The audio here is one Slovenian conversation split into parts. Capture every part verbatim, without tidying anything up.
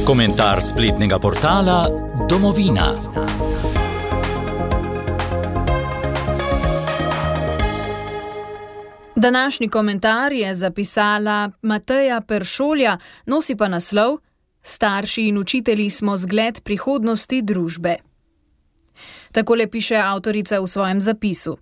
Komentar spletnega portala Domovina. Današnji komentar je zapisala Mateja Peršolja, nosi pa naslov Starši in učitelji smo zgled prihodnosti družbe. Takole piše avtorica v svojem zapisu.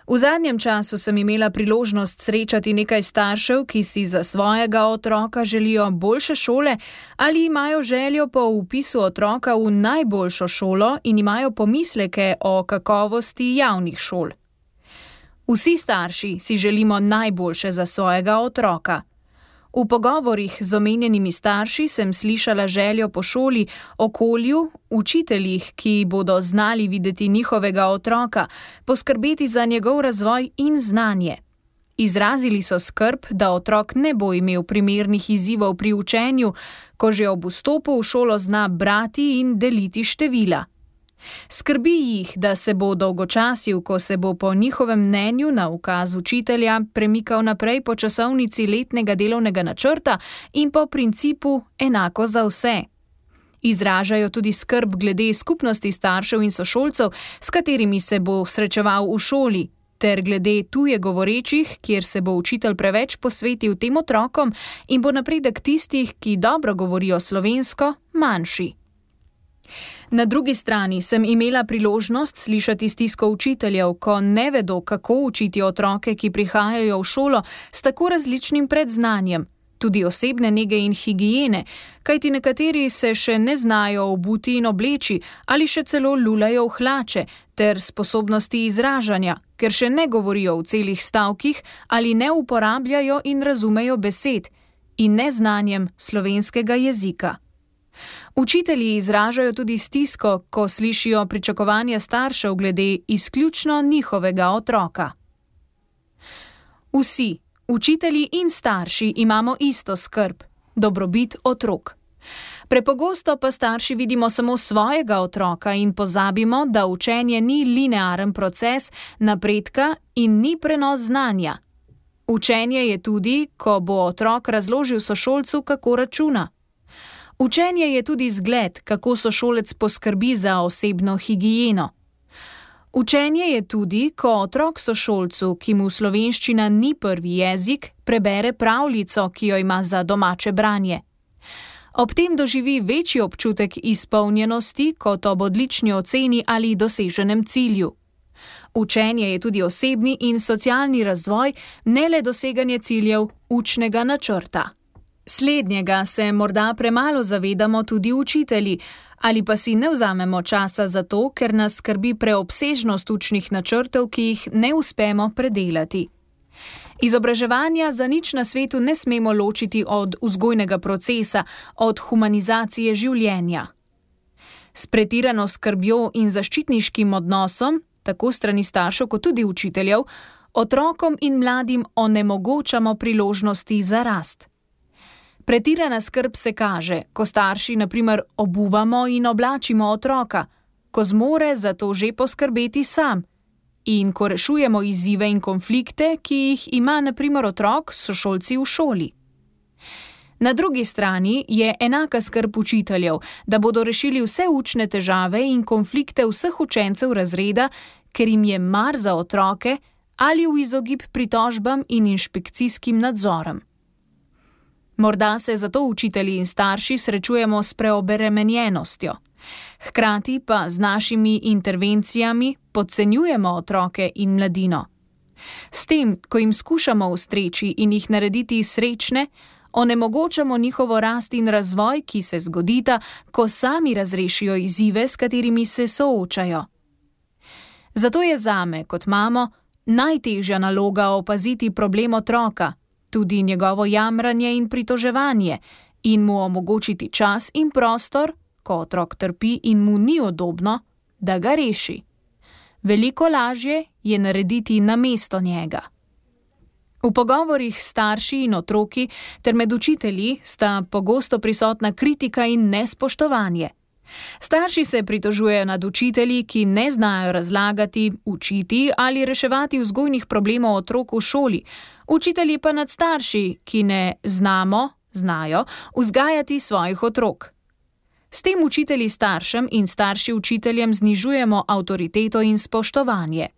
V zadnjem času sem imela priložnost srečati nekaj staršev, ki si za svojega otroka želijo boljše šole ali imajo željo po vpisu otroka v najboljšo šolo in imajo pomisleke o kakovosti javnih šol. Vsi starši si želimo najboljše za svojega otroka. V pogovorih z omenjenimi starši sem slišala željo po šoli, okolju, učiteljih, ki bodo znali videti njihovega otroka, poskrbeti za njegov razvoj in znanje. Izrazili so skrb, da otrok ne bo imel primernih izzivov pri učenju, ko že ob vstopu v šolo zna brati in deliti števila. Skrbi jih, da se bo dolgočasil, ko se bo po njihovem mnenju na ukaz učitelja premikal naprej po časovnici letnega delovnega načrta in po principu enako za vse. Izražajo tudi skrb glede skupnosti staršev in sošolcev, s katerimi se bo srečeval v šoli, ter glede tuje govorečih, kjer se bo učitelj preveč posvetil tem otrokom in bo napredek tistih, ki dobro govorijo slovensko, manjši. Na drugi strani sem imela priložnost slišati stisko učiteljev, ko ne vedo, kako učiti otroke, ki prihajajo v šolo s tako različnim predznanjem, tudi osebne nege in higiene, kajti nekateri se še ne znajo obuti in obleči ali še celo lulajo v hlače, ter sposobnosti izražanja, ker še ne govorijo v celih stavkih ali ne uporabljajo in razumejo besed, in neznanjem slovenskega jezika. Učitelji izražajo tudi stisko, ko slišijo pričakovanja staršev glede izključno njihovega otroka. Vsi, učitelji in starši, imamo isto skrb, dobrobit otrok. Prepogosto pa starši vidimo samo svojega otroka in pozabimo, da učenje ni linearen proces napredka in ni prenos znanja. Učenje je tudi, ko bo otrok razložil sošolcu, kako računa. Učenje je tudi zgled, kako sošolec poskrbi za osebno higieno. Učenje je tudi, ko otrok sošolcu, ki mu slovenščina ni prvi jezik, prebere pravljico, ki jo ima za domače branje. Ob tem doživi večji občutek izpolnjenosti kot ob odlični oceni ali doseženem cilju. Učenje je tudi osebni in socialni razvoj, ne le doseganje ciljev učnega načrta. Slednjega se morda premalo zavedamo tudi učitelji, ali pa si ne vzamemo časa za to, ker nas skrbi preobsežnost učnih načrtov, ki jih ne uspemo predelati. Izobraževanja za nič na svetu ne smemo ločiti od vzgojnega procesa, od humanizacije življenja. S pretirano skrbjo in zaščitniškim odnosom, tako strani staršev kot tudi učiteljev, otrokom in mladim onemogočamo priložnosti za rast. Pretirana skrb se kaže, ko starši na primer obuvamo in oblačimo otroka, ko zmore za to že poskrbeti sam in ko rešujemo izzive in konflikte, ki jih ima na primer otrok s sošolci v šoli. Na drugi strani je enaka skrb učiteljev, da bodo rešili vse učne težave in konflikte vseh učencev razreda, ker jim je mar za otroke ali v izogib pritožbam in inšpekcijskim nadzorom. Morda se zato učitelji in starši srečujemo s preobremenjenostjo. Hkrati pa z našimi intervencijami podcenjujemo otroke in mladino. S tem, ko jim skušamo ustreči in jih narediti srečne, onemogočamo njihovo rast in razvoj, ki se zgodita, ko sami razrešijo izzive, s katerimi se soočajo. Zato je zame, kot mamo, najtežja naloga opaziti problem otroka, tudi njegovo jamranje in pritoževanje, in mu omogočiti čas in prostor, ko otrok trpi in mu ni udobno, da ga reši. Veliko lažje je narediti namesto njega. V pogovorih s starši in otroki ter med učitelji sta pogosto prisotna kritika in nespoštovanje. Starši se pritožujejo nad učitelji, ki ne znajo razlagati, učiti ali reševati vzgojnih problemov otrok v šoli, učitelji pa nad starši, ki ne znamo, znajo vzgajati svojih otrok. S tem učitelji staršem in starši učiteljem znižujemo avtoriteto in spoštovanje.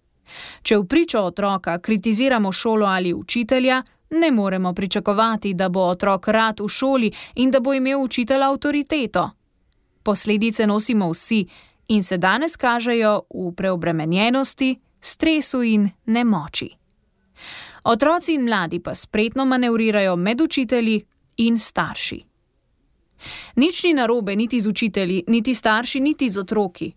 Če v pričo otroka kritiziramo šolo ali učitelja, ne moremo pričakovati, da bo otrok rad v šoli in da bo imel učitelj avtoriteto. Posledice nosimo vsi in se danes kažejo v preobremenjenosti, stresu in nemoči. Otroci in mladi pa spretno manevrirajo med učitelji in starši. Nič ni narobe niti z učitelji, niti starši, niti z otroki.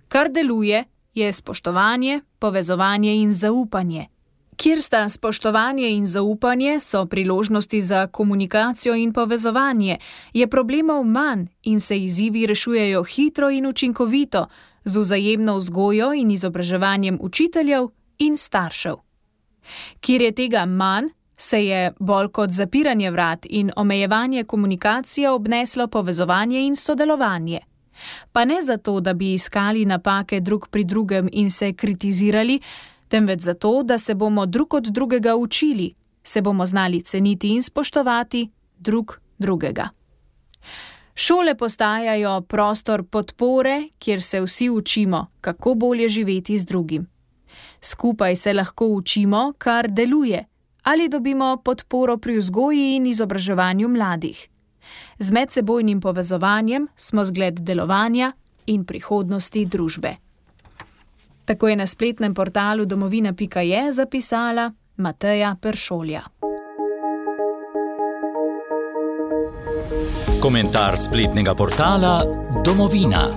Kar deluje, je spoštovanje, povezovanje in zaupanje. Kjer sta spoštovanje in zaupanje, so priložnosti za komunikacijo in povezovanje, je problemov manj in se izzivi rešujejo hitro in učinkovito, z vzajemno vzgojo in izobraževanjem učiteljev in staršev. Kjer je tega manj, se je bolj kot zapiranje vrat in omejevanje komunikacije obneslo povezovanje in sodelovanje. Pa ne zato, da bi iskali napake drug pri drugem in se kritizirali, temveč zato, da se bomo drug od drugega učili, se bomo znali ceniti in spoštovati drug drugega. Šole postajajo prostor podpore, kjer se vsi učimo, kako bolje živeti z drugim. Skupaj se lahko učimo, kar deluje, ali dobimo podporo pri vzgoji in izobraževanju mladih. Z medsebojnim povezovanjem smo zgled delovanja in prihodnosti družbe. Tako je na spletnem portalu domovina pika je zapisala Mateja Peršolja. Komentar spletnega portala Domovina.